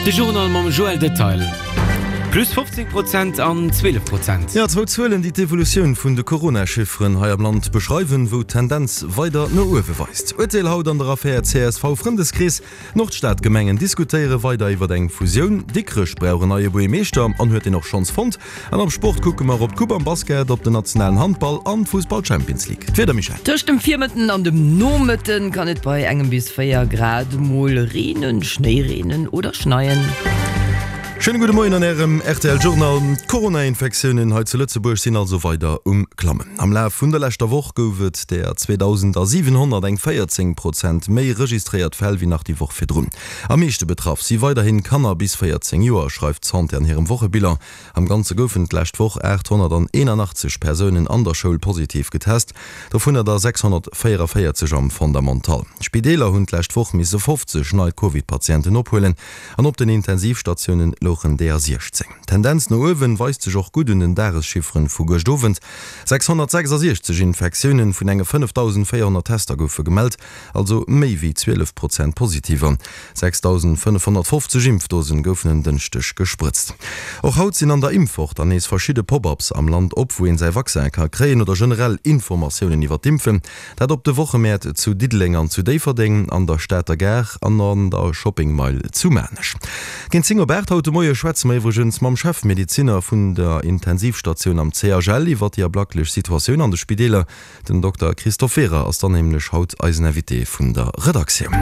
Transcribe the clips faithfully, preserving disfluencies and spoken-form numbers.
De Journal mam Joël Detail. Plus fofzéng Prozent an zwielef Prozent. Jo, zwou Zuelen, déi d'Evolutioun vun de Corona-Chifferen hei am Land beschreiwen, wou d'Tendenz weider no uewe weist. Urteel haut an der Affär C S V-Frëndeskrees, D'Nordstadgemengen diskutéiere weider iwwer eng Fusioun, Dikrech brauch en neie Buergermeeschter an huet deen och schonns fonnt. An am Sport kucke mer op d'Coupe am Basket, op den nationalen Handball an d'Fussball-Champions League. D'Wieder, Michèle? Tëscht dem Virmëtten an dem Nomëtten kann et bei engem bis véier Grad mol reenen, Schnéi reenen oder schneien. Schéine gudde Moien an Ärem R T L Journal. D'Corona-Infektiounen hei zu Lëtzebuerg sinn also weider um Klammen. Am Laf vun der leschter Woch gouf et der zweedausendasiwenhonnert, eng véierzéng Prozent méi registréiert Fäll wéi nach déi Woch virdrun. Am meeschte betraff si weiderhin Kanner bis véierzéng Joer, schreift d'Santé an hirem Wochebilan. Am Ganze goufen d'lescht Woch aathonnerteenanachtzeg Persounen an der Schoul positiv getest, dovunner der sechshonnertvéierevéierzeg am Fondamental. D'Spideeler hunn d'lescht Woch misse fofzeg nei Covid-Patienten ophuelen an op den Intensivstatiounen louchen deeër siechzéng. D'Tendenz no uewen weist sech och gutt un den Dageschifferen vu gëscht Owend, sechshonnertsechsasiechzeg Infektiounen vun enge fënnefdausendvéierhonnert Tester goufe gemellt, also méi wéi zwielef Prozent Positiver. Sechsdausendfënnefhonnertfofzeg Impfdosen goufen en Dënschdeg gesprëtzt. Och haut sinn an der Impfwoch dann nees verschidde Pop-ups am Land op, wou een säi Vaccin ka kréien oder generell Informatiounen iwwer d'Impfen. Dat op de Wochemäert zu Diddeleng an zu Déifferdeng, an der Stater Gare an an der Shopping Mile zu Maarnech. Géint zéng op aacht haut de Moie schwätze mer iwwregens mam Chefmedezinner vun der Intensivstatioun am C H L iwwer déi ablacklech Situatioun an de Spideeler. Den Dokter Christophe Werer ass dann nämlech haut eisen Invité vun der Redaktioun.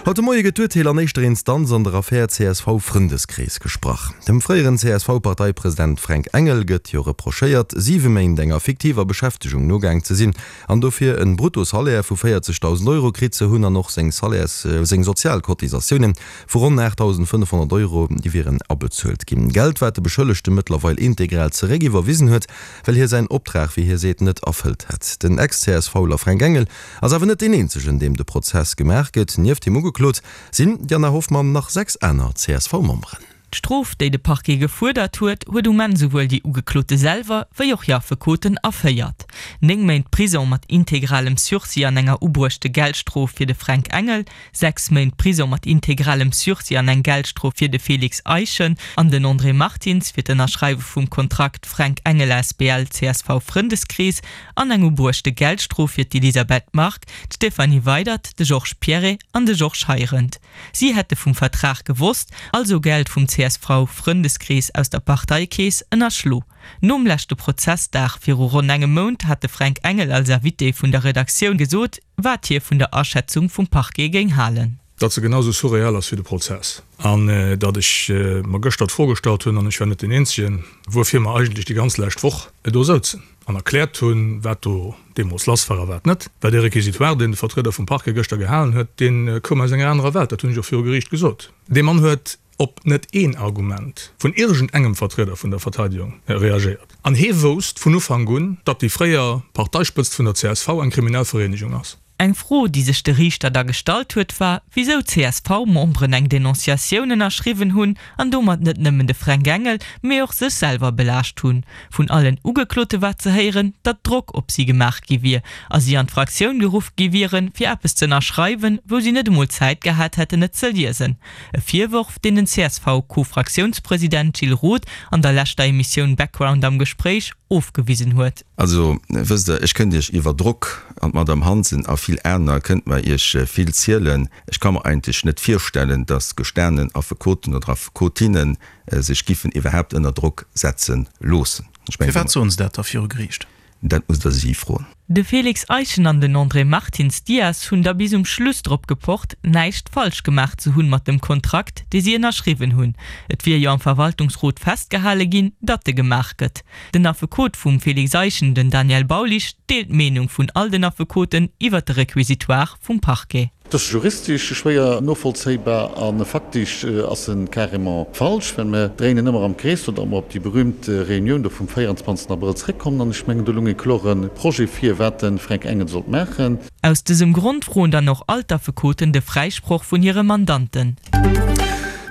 Haut de Moie gëtt d'Urteel an éischter Instanz an der Affär C S V-Frëndeskrees gesprach. Dem fréieren C S V-Parteipresident Fränk Engel gëtt jo reprochéiert, siwe Méint enger fiktiver Beschäftegung nogaang ze sinn an dofir en Bruttosalaire vu véierzegdausend Euro kritt ze hunn an och seng Salaires, seng Sozialcotisatiounen vu ronn aachtdausendfënnefhonnert Euro, déi wieren abezuelt ginn. Geld, wat de Beschëllegte mëttlerweil integral zeréck iwwerwisen huet, well hie säin Optrag, wéi hie seet, net erfëllt hätt. Den Ex-C S V-ler Fränk Engel ass awer net deen eenzegen, deem de Prozess gemaach gëtt. Nieft him ugeklot sinn, Diana Hoffmann, nach sechs aner C S V-Memberen. D'Strof, déi de Parquet gefuerdert huet, huet um Enn souwuel déi Ugeklote selwer wéi och hir Affekoten erféiert. Néng Méint Prisong mat integralem Sursis an enger ubruechte Geldstrof fir de Fränk Engel, sechs Méint Prisong mat integralem Sursis an eng Geldstrof fir de Félix Eischen an den André Martins fir d'Ënnerschreiwe vum Kontrakt Fränk Engel asbl C S V Frëndeskrees an eng ubruechte Geldstrof fir d'Elisabeth Margue, d'Stéphanie Weydert, de Georges Pierret an de Georges Heirendt. Si hätte vum Vertrag gewosst, also Geld vum C S V-Frëndeskrees aus der Parteikeess ënnerschlo. Nom leschte Prozessdag viru ronn engem Mount hat de Fränk Engel als Invité vun der Redaktioun gesot, wat hie vun der Aschätzung vum Parquet géing halen. Datt se genau sou surreal ass wéi de Prozess an datt ech mer gëschter d'Fro gestallt hunn, an ech war net deen Eenzegen, wuerfir mer eigentlech déi ganz lescht Woch do souzen an erkläert hunn, wat do deemools lass war a wat net. Well dee Réquisitoire, deen de Vertrieder vum Parquet gëschter gehalen huet, dee koum aus enger anerer Welt, dat hunn ech och viru Geriicht gesot. Dee Mann huet op net een Argument vun iergendengem Vertrieder vun der Verteidigung reagéiert. An hee wousst vun Ufank un, datt déi fréier Parteispëtzt vun der C S V eng kriminell Vereenegung ass. Eng Fro, déi sech de Riichter da gestallt huet, war, wisou C S V-Memberen eng Denonciatioun ënnerschriwwen hunn an domat net nëmmen de Fränk Engel, mee och sech selwer belaascht hunn. Vun allen Ugeklote war ze héieren, datt Drock op si gemaach gi wier a si an d'Fraktioun geruff gi wieren, fir eppes ze ënnerschreiwen, wou si net emol Zäit gehat hätten, et ze liesen. E Virworf, deen den C S V-Co-Fraktiounspresident Gilles Roth an der leschter Emissioun Background am Gespréich ofgewisen huet. Also, wësst Der, ech kënnt Iech iwwer Drock, an d'Madame Hansen a vill aner kënnt mer Iech vill zielen. Ech ka mer eigentlech net virstellen, datt gestanen Affekoten oder Affekotinne sech giffen iwwerhaapt ënner Drock setze loossen. Ech mengen. Firwat soen se dat da viru Geriicht? Dat musst Der si froen. De Félix Eischen an den André Martins Dias hunn da bis um Schluss drop gepocht, näischt falsch gemaach ze hunn mat dem Kontrakt, dee si ënnerschriwwen hunn. Et wier jo am Verwaltungsrot festgehale ginn, datt e gemaach gëtt. Den Affekot vum Félix Eischen, den Daniel Baulisch, deelt d'Meenung vun all den Affekoten iwwer de Requisitoire vum Parquet. Et ass juristesch schwéier novollzéibar a faktesch ass e carrément falsch, well mir dréinen ëmmer am Krees, oder mer op déi berühmt Reunioun do vum véierundzwanzegsten Abrëll zréckkommen. An ech mengen, do lung e klore Projet vir, wat de Fränk Engel sollt maachen. Aus dësem Grond froen dann och all d'Affekoten de Fräisproch vun hire Mandanten.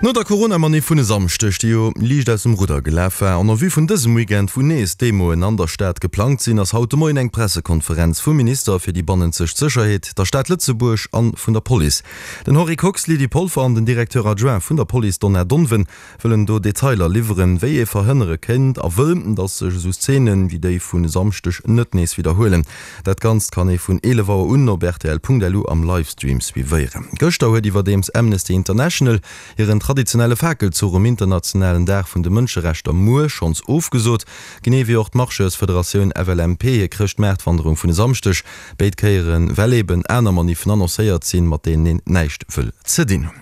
No der Corona-Maniff vun e Samschdeg, déi jo liicht aus dem Rudder gelaf war, an en vue vun dësem Weekend, wou nees Demoen an der Stad geplangt sinn, ass haut de Moien eng Pressekonferenz vum Minister fir déi bannenzeg Sécherheet, der Stad Lëtzebuerg an vun der Police. Den Henri Kox, Lydie Polfer an den Directeur adjoint vun der Police Donna Donven wëllen do Detailer liwweren, wéi ee verhënnere kéint a wëll, datt sech esou Szenen wéi déi vun e Samschdeg net nees widderhuelen. Dat Ganzt kann ee vun eelef Auer un op rtl.lu am Livestream suivéieren. Gëschter huet iwwerdeems Amnesty International hiren traditionelle Fakelzuch um internationalen Dag vun de Mënscherechter muer schonns ofgesot, genee wéi och d'Marcheursfederatioun F L M P hir Chrëschtmaartwanderung vun e Samschdeg. Béid Kéieren, well eben aner Maniffen annoncéiert sinn, mat deenen een näischt wëll ze dinn hunn.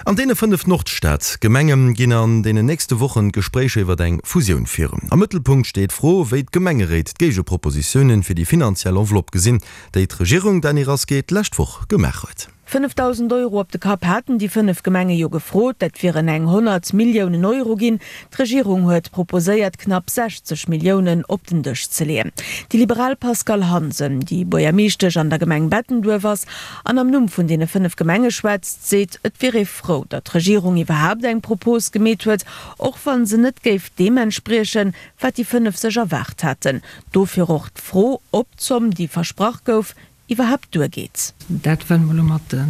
An deene fënnef Nordstad-Gemenge ginn an deenen nächste Wochen d'Gespréicher iwwer eng Fusioun virun. Am Mëttelpunkt steet d'Fro, wéi d'Gemengeréit d'Géigepropositiounen fir déi finanziell Enveloppe gesinn, déi d'Regierung, Dany Rasqué, d'lescht Woch gemaach huet. Fënnefdausend Euro op de Kapp haten déi fënnef Gemenge jo gefrot, dat wieren eng honnert Milliounen Euro ginn. D'Regierung huet proposéiert, knapp sechzeg Milliounen op den Dësch ze leeën. Déi Liberal Pascale Hansen, déi Buergermeeschtesch an der Gemeng Bettenduerf ass an am Numm vun deene fënnef Gemenge schwätzt, seet, et wier ee frou, datt d'Regierung iwwerhaapt eng Propos gemeet huet, och wa se net géif deem entspriechen, wat déi fënnef sech erwaart haten. Dofir och d'Fro, ob d'Zomm, déi versprach gouf, iwwerhaapt duergeet. Dat wëlle mer elo mat de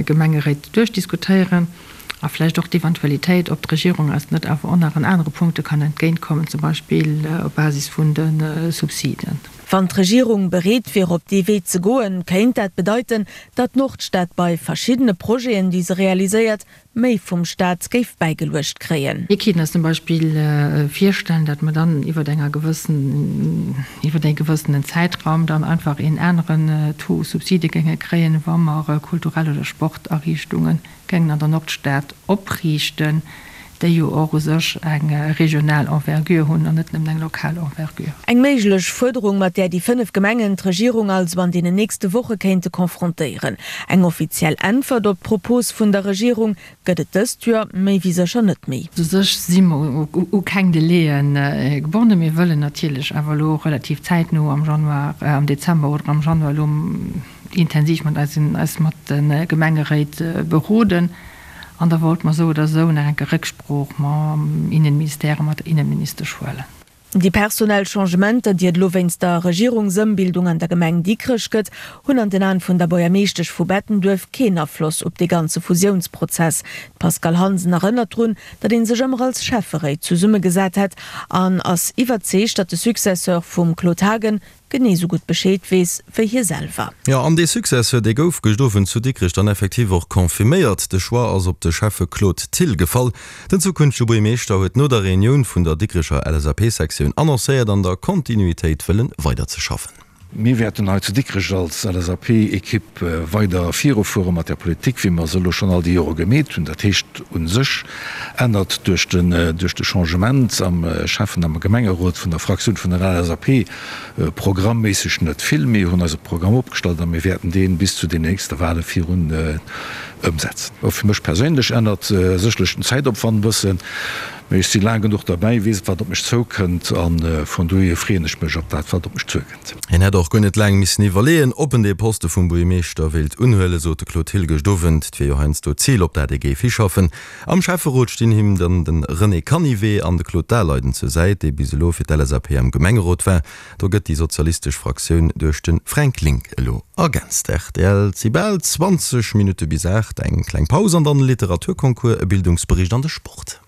Gemengeréit duerchdiskutéieren a vläicht och d'Eventualitéit, ob d'Regierung eis net awer och nach an anere Punkte kann entgéintkommen, zum Beispill op Basis vun de Subsiden. Wann d'Regierung bereet wier op dee Wee ze goen, kéint dat bedeiten, datt d'Nordstad bei verschiddene Projeten, déi se realiséiert, méi vum Staat géif bäigeluecht kréien. Mir kéinten eis zum Beispill virstellen, datt mer dann iwwer enger gewëssen, iwwer e gewëssenen Zäitraum dann einfach een aneren Taux Subside géinge kréien, wa mer kulturell oder Sportariichtunge géingen an der Nordstad opriichten, déi jo och u sech eng regional Envergure hunn an net nëmmen eng lokal Envergure. Eng méiglech Fuerderung, mat där déi fënnef Gemengen d'Regierung also an deenen nächste Woche kéinte konfrontéieren. Eng offiziell Äntwert op d'Propos vun der Regierung gëtt et dëst Joer méi wéi sécher net méi. U sech si mer u keng Delaien gebonnen. Mir wëllen natierlech awer elo relativ zäitno am Januar, am Dezember oder am Januar elo intensiv mat eisen, eis mat de Gemengeréit beroden. An da wollte mer esou oder esou nach eng Kéier Récksprooch mam Innenministère a mat der Innenministesch huelen. Déi personell Changementer, déi et elo wéinst der Regierungsëmbildung an der Gemeng Dikrech gëtt, hunn an den Aen vun der Buergermeeschtesch vu Bettenduerf keen Afloss op dee ganze Fusiounsprozess. D'Pascale Hansen erënnert drun, datt ee sech ëmmer als Schäfferéit zesummegesat hätt an ass iwwerzeegt, datt de Successeur vum Claude Haagen genee sou gutt Bescheed weess wéi hie selwer. Jo, an dee Successeur, dee gouf gëscht Owend zu Dikrech dann effektiv och confirméiert. De Choix ass op de Schäffe Claude Thill gefall. Den zukünftege Buergermeeschter huet no der Reunioun vun der Dikrecher L S A P-Sektioun annoncéiert, an der Kontinuitéit wëllen weiderzeschaffen. Mir wäerten hei zu Dikrech als L S A P-Ekipp weider virufuere mat där Politik, wéi mer se elo schonn all déi Jore gemeet hunn. Dat heescht, u sech ännert duerch de Changement am Schäffen am Gemengerot vun der Fraktioun vun der L S A P programmméisseg net vill. Mir hunn eise Programm opgestallt a mir wäerten dee bis zu den nächste Wahle virun ëmsetzen. Och fir mech perséinlech ännert sécherlech den Zäitopwand e bëssen, mee ech si laang genuch derbäi, weess wat op mech zoukënnt a vun dohier freeën ech mech op dat wat op mech zuekënnt. Hien hätt och guer net laang missen iwwerleeën, ob en dee Poste vum Buergermeeschter wéilt unhuelen, sot de Claude Thill gëscht Owend. Et wier jo heiansdo d'Zil, op dat ee géif hischaffen. Am Schäfferot stinn him dann de René Canivet an de Claude Daleiden zur Säit, dee bis elo fir d'L S A P am Gemengerot war. Do gëtt déi sozialistesch Fraktioun duerch de Fränk Link elo ergänzt. Rtl, Et si bal zwanzeg Minutte bis aacht. Eng kleng Paus an dann e Literaturconcours, e Bildungsbericht an de Sport.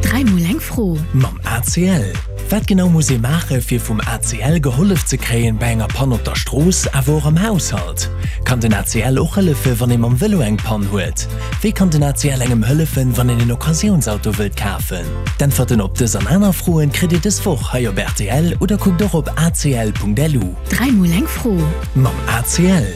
Dräi mol eng Fro. Mam A C L. Wat genau muss ee maache fir vum A C L gehollef ze kréien bei enger Pann op der Strooss, awer och am Haushalt? Kann den A C L och hëllefe wann ee mam Vëlo eng Pann huet? Wéi kann den A C L engem hëllefen, wann een en Occasiounsauto wëllt kafen? D'Äntwerten op dës an aner Froen kritt Dir dës Woch hei op R T L oder kuckt och op A C L Punkt L U. Dräi mol eng Fro. Mam A C L.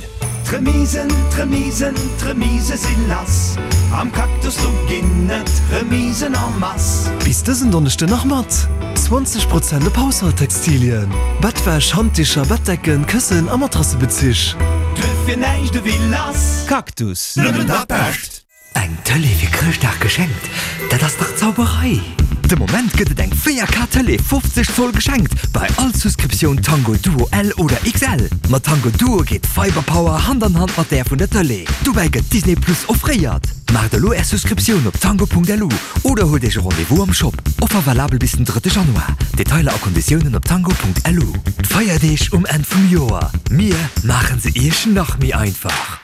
D'Remisen, d'Remisen, d'Remise si lass. Am Cactus do ginn et Remisen en masse. Bis dësen Donneschden nach mat zwanzeg Prozent op Haushalttextilien, Bettwäsch, Handdicher, Bettdecken, Këssen a Matrassebezich. Duerfir näischt ewéi lass. Cactus. Nëmmen dat Bescht. Eng Tëlee fir Chrëschtdag geschenkt, dat ass dach Zauberei! De Moment gëtt et eng véier K Tëlee fofzeg Zoll geschenkt bei all Souscriptioun Tango Duo L oder X L. Mat Tango Duo geet Fiberpower Hand an Hand mat där vun der Tëlee. Dobäi gëtt Disney Plus offréiert. Maacht elo Är Souscriptioun op tango.lu oder huelt Iech e Rendez-vous am Shop. Offer valabel bis den drëtte Januar. Detailer a Konditiounen op tango.lu. D'Feierdeeg um Enn vum Joer, mir maachen se Iech nach méi einfach!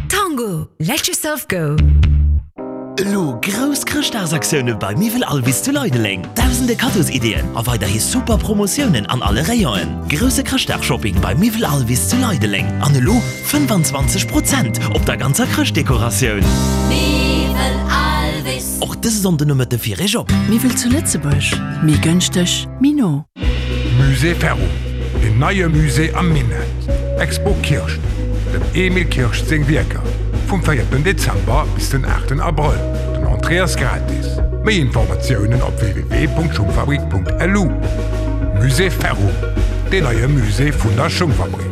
Tango, let yourself go! Elo grouss Chrëschtdagsaktioune bei Miwwel Alvis zu Leideleng. Dausende Kaddosideeën a weiderhi super Promotiounen an alle Rayonen. Grousse Chrëschtdagshopping bei Miwwel Alvis zu Leideleng an elo fënnefanzwanzeg Prozent op der ganzer Chrëschtdekoratioun. Miwwel Alvis. Och dëse Sonndenomëtte fir Iech op. Miwwel zu Lëtzebuerg, méi gënschteg, méi no. Musée Ferro, deen neie Musée am Minett, Expo Kirscht, dem Emil Kirscht seng Wierker, vum véierten Dezember bis den aachten Abrëll. Den Entrée ass gratis. Méi Informatiounen op www.schungfabrik.lu. Musée Ferro, deen neie Musée vun der Schungfabrik.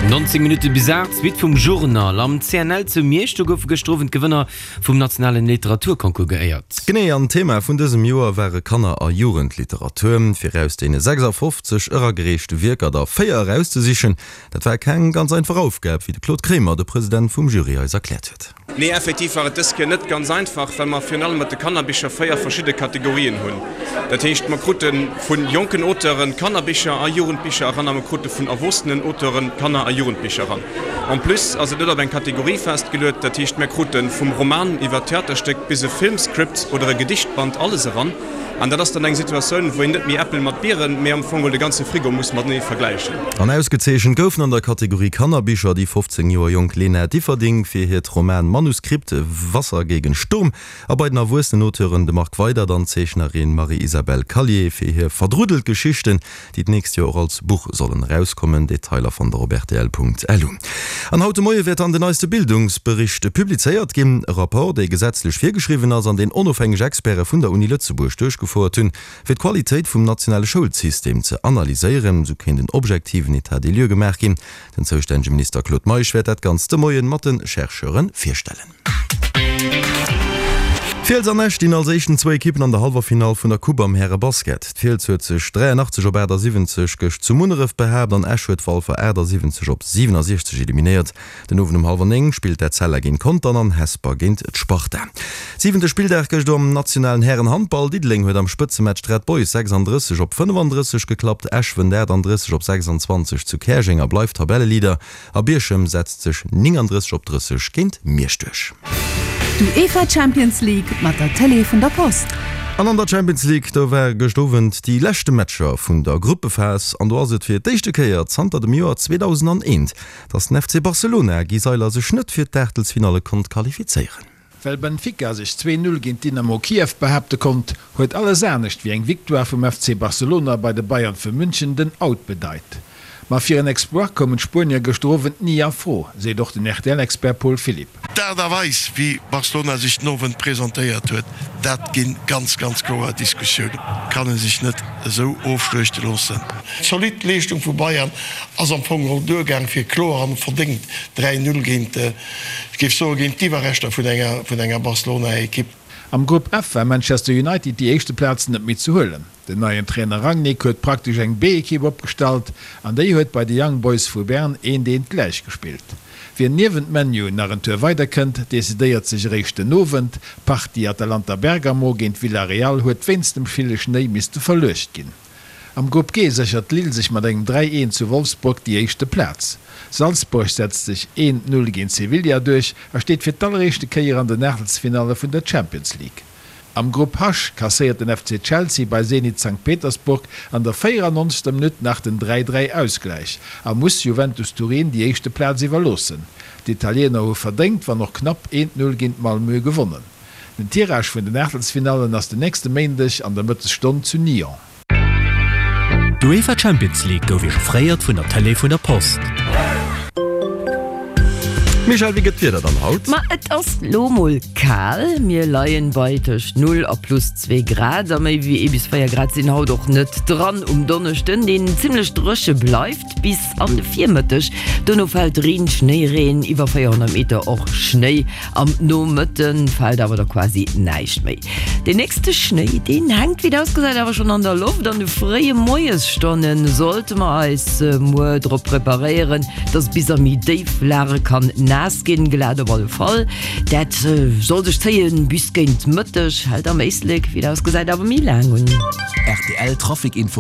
Nonzéng Minutte bis aacht, d'Suite vum Journal. Am C N L zu Miersch, do goufe gëschter Owend d'Gewënner vum nationalen Literaturconcours geéiert. Genee, an d'Thema vun dësem Joer ware Kanner a Jugendliteratur. Fir aus deene sechsafofzeg eragereechte Wierker der véier erauszesichen, dat war keng ganz einfach Aufgab, wéi de Claude Kremer, de President vum Jury, eis erkläert huet. Nee, effektiv war et dës Kéier net ganz einfach, well mer virun allem mat de Kannerbicher véier verschidde Kategorien hunn. Dat heescht, mer krute vu jonken Auteuren Kannerbicher a Jugendbicher eran a mer krute vun erwuessenen Auteuren Kanner a Jugendbicher eran. En plus ass et net op eng Kategorie festgeluet, dat heescht, mer krute vum Roman iwwer Theaterstéck bis e Filmscript oder e Gedichtband alles eran. An dat ass dann eng Situatioun, wou een net méi Äppel mat Bieren, mee am Fong geholl de ganze Frigo muss matenee vergläichen. An ausgezeechent goufen an der Kategorie Kannerbicher déi fofzéng Joer jonk Lena Differding fir hiert Roman Manuskript, Wasser gegen Sturm a bei den erwuessenen Auteuren de Marc Weydert an d'Zeechnerin Marie-Isabelle Callier fir hir Verdruddelt Geschichten, déi d'nächst Joer och als Buch sollen erauskommen. Detailer fannt der op rtl Punkt L U. An haut de Moie wäert dann den neiste Bildungsbericht publizéiert ginn, e Rapport, dee gesetzlech virgeschriwwen ass an deen onofhängeg Experte vun der Uni Lëtzebuerg duerchgefouert hunn, fir d'Qualitéit vum nationale Schoulsystem ze analyséieren. Sou kéint en objektiven État des lieux gemaach ginn. Den zoustännege Minister Claude Meisch wäert dat Ganzt de Moien mat de Chercheure virstellen. D'Fiels an Esch stinn als éischten zwou Ekippen an der Hallwerfinall vun der Coupe am Härebasket. D'Fiels huet sech dräianachtzeg op aachtasiwwenzeg gëscht zu Munneref behaapt an Esch huet Walfer aachtasiwwenzeg op siwenasiechzeg eliminéiert. Den Owend um hallwer néng spillt d'Etzella géint Contern an Hesper géint d'Sparta. Siwente Spilldag gëscht am nationalen Härenhandball. Diddeleng huet am Spëtzematch d'Red Boys sechsandrësseg op fënnefandrësseg geklappt. Esch wënnt achtandrësseg op sechsanzwanzeg zu Käerjeng a bleift Tabelleleader a Bierchem setzt sech néngandrësseg op drësseg géint Miersch duerch. D'UEFA Champions League mat der Télé vun der Post. An an der Champions League, do ware gëscht Owend déi leschte Matcher vun der Gruppephas an do ass et fir d'éischte Kéier zanter dem Joer zweedausendaneent, datt den F C Barcelona, Guy Seyler, sech net fir d'Aachtelsfinalle konnt qualifizéieren. Well Benfica sech zwee Null géint Dynamo Kiew behaapte konnt, huet alles anescht wéi eng Victoire vum F C Barcelona bei de Bayern vu München den Out bedeit. Ma fir en Exploit koumen d'Spuenier gëschter Owend ni a Fro, seet och den R T L-Expert Paul Philipp. D'Aart a Weis, wéi Barcelona sech den Owend presentéiert huet, dat ginn ganz, ganz kloer Diskussiounen. Kann e sech net esou ofschluechte loossen. D'zolidd Leeschtung vu Bayern ass am Fong geholl duergaang fir kloer an verdéngt dräi Null géint, ech géif soen, géint d'Iwwerreschter vun enger, vun enger Barcelona-Ekipp. Am Grupp F war Manchester United déi éischte Plaz net méi ze huelen. Den neien Trainer Rangnick huet praktesch eng B-Ekipp opgestallt an déi huet bei de Young Boys vu Bern eent eent gläich gespillt. Wien niewent ManU nach en Tour weider kënnt, decidéiert sech eréischt den Owend. D'Partie Atalanta Bergamo géint Villarreal huet wéinst dem ville Schnéi misste verluecht ginn. Am Grupp G séchert Lille sech mat engem dräi eent zu Wolfsburg déi éischte Plaz. Salzburg setzt sech eent Null géint Sevilla duerch a steet fir d'alleréischte Kéier an den Aachtelsfinalle vun der Champions League. Am Grupp H kasséiert den F C Chelsea bei Zenit Sankt Petersburg an der véierannonzegster Minutt nach den dräi dräi Ausgläich a muss Juventus Turin déi éischte Plaz iwwerloossen. D'Italiener hu verdéngt, wann och knapp, eent Null géint Malmö gewonnen. Den Tirage vun den Aachtelsfinallen ass den nächste Méindeg an der Mëttesstonn zu Nyon. D'UEFA Champions League gouf Iech offréiert vun der Tëlee vun der Post. Michèle, wéi gëtt d'Wieder dann haut? Ma et ass lo mol kal, mir leien bei tëscht null a plus zwee Grad a méi wéi ee bis véier Grad sinn haut och net dran. Um Donneschden, deen zimmlech dréche bleift bis an de Virmëtteg, dono fält Reen, Schnéireen, iwwer véierhonnert Meter och Schnéi. Am Nomëtte fält awer da quasi näischt méi. Deen nächste Schnéi, deen hänkt wéi et ausgesäit awer schonn an der Loft. An de fréie Moiesstonne sollte mer eis muer drop preparéieren, dass bis a méi déif Lage kann naass naass ginn, glat op alle Fall. Dat soll sech zéien bis géint Mëtteg, hält am Éislek, wéi et ausgesäit, awer méi laang un. Rtl Trafic Info.